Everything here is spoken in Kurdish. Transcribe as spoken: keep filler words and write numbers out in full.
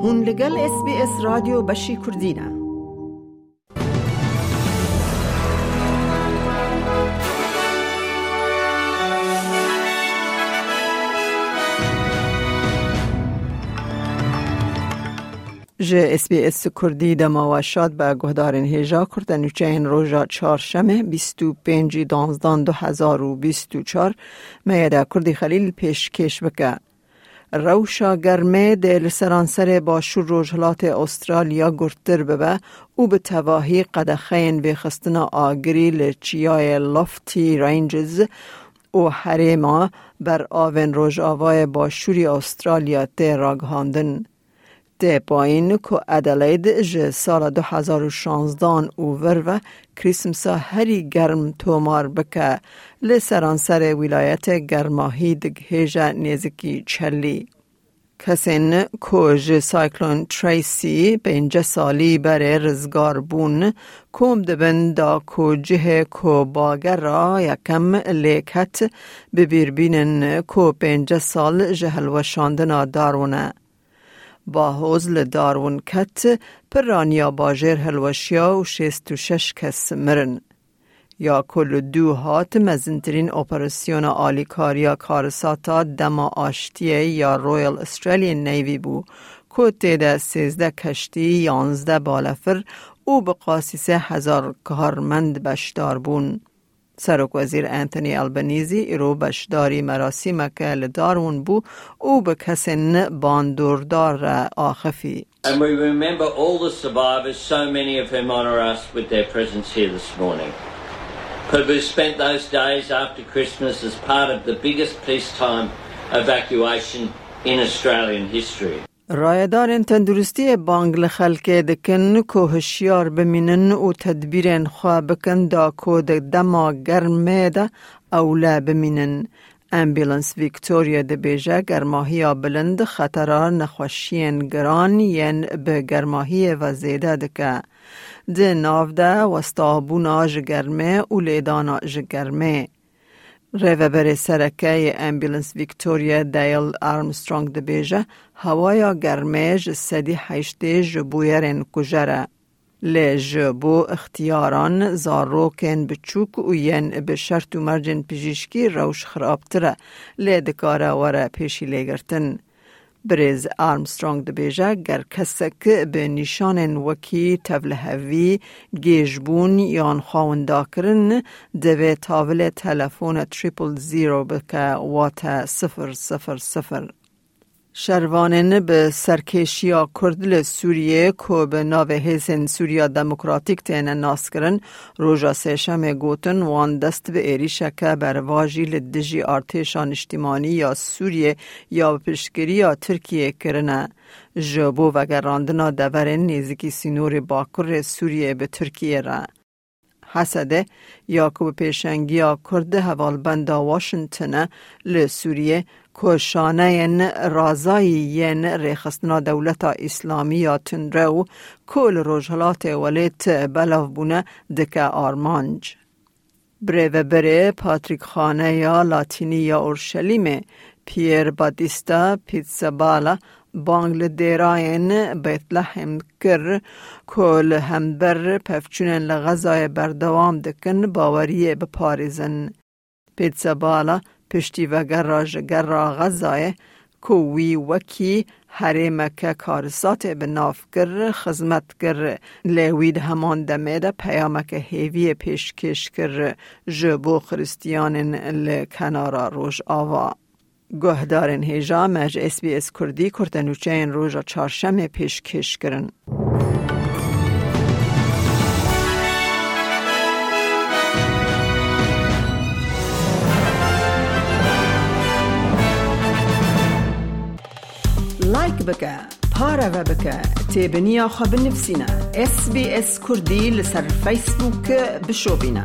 Hûn li gel S B S Radyo Beşî Kurdî ne. Ji S B S Kurdî dema we şad be, guhdarên hêja. Kurte nûçeyên roja çarşemê, bîst û pêncî danzdan du hezar û bîst û çar, Meyeda Kurdî Xelîl pêşkêş bike. Rewşa germê dê li seranserê başûr rojhilatê Australya gurttir bibe û bi tevahî qedexeyên vêxistina agirî li çiyayê Lofty Ranges û herêma ber avên rojavayê başûrî Australya tê ragihandin. Tê payîn ku Adelaide ji sala du hezar û şanzdan û vir ve Krîsmsa herî germ tomar bike, li seranserê wîlayetê germahî digihêje nêzikî çelî. Kesên ku ji Cyclone Tracy pêncî salî berê rizgar bûn, kom dibin da ku cihê ku bagera yekem lê ket, bi bîr bînin ku pêncî sal ji hilweşandina Darwin e. Bahoz li Darwin ket, piraniya bajêr hilweşiya û şêst û şeş kes mirin. Ya ku li dû hat mezintirîn operasyona alîkariya karisata dema aştiyê ya Royal Australian Navy bû, ku tê de sêzdeh keştî, yanzdeh balefir û bi qasî sê hezar karmend beşdar bûn. Serokwezîr Anthony Albanese îro beşdarî merasîmeke li Darwin bû û bi kesên bandordar re axifî. And we remember all the survivors, so many of whom honour us with their presence here this morning, but who spent those days after Christmas as part of the biggest peacetime evacuation in Australian history. Rayedarên tenduristiyê bang li xelkê dikin ku hişyar bimînin û tedbîrên xwe bikin da ku di dema germê de ewle bimînin. Ambulance Victoria dibêje, germahiya bilind xetera nexweşiyên giran yên bi germahiyê ve zêde dike. Di nav de westabûna ji germê û lêdana ji germê. Rêveberê sereke yê Ambulance Victoria Dale Armstrong dibêje, hewaya germê ji sedî heştê ji bûyerên kujer e. Lê ji bo ixtiyaran, zarokên biçûk û yên bi şert û mercên pijîşkî rewş xirabtir e, lê dikare were pêşîlêgirtin. Birêz Armstrong dibêje, ger kesek bi nîşanên wekî tevlihevî, gêjbûn yan xwewindakirin, divê tavilê telefona triple zero bike, wate sifir sifir sifir. Şervanên bi serkêşiya Kurd li Sûriyê ku bi navê Hêzên Sûriya Demokratîk têne naskirin, roja Sêşemê gotin wan dest bi êrîşeke berevajî li dijî artêşa niştimanî ya Sûriyê ya bi piştgiriya Tirkiyê kirine, ji bo vegerandina deverên nêzîkî sînorê bakurê Sûriyê bi Tirkiyê re. Hesedê, ya ku bi pêşengiya Kurd hevalbenda Washington e li Sûriyê, ku şaneyên razayî yên rêxistina Dewleta Îslamî ya tundrew ku li Rojhilatê welêt belav bûne, dike armanc. Birêveberê Patrîkxaneya Latînî ya Orşelîmê, Pier Battista Pizzaballa, bang li dêrayên Bethlehem kir ku li hember pevçûnên li Xezayê berdewam dikin, baweriyê biparêzin. Pizzaballa piştî vegera ji gera Xezayê, ku wî wekî herêmeke karisatê bi nav kir, xizmet kir, lê wî di heman demê de peyameke hêviyê pêşkêş kir ji bo Xiristiyanên li Kenara Rojava. Guhdarên hêja, me ji S B S Kurdî kurtenûçeyên roja çarşemê pêşkêş kirin. Like bike, pareve bike, têbiniya xwe binivîsîne. S B S Kurdî li ser Facebook bişopîne.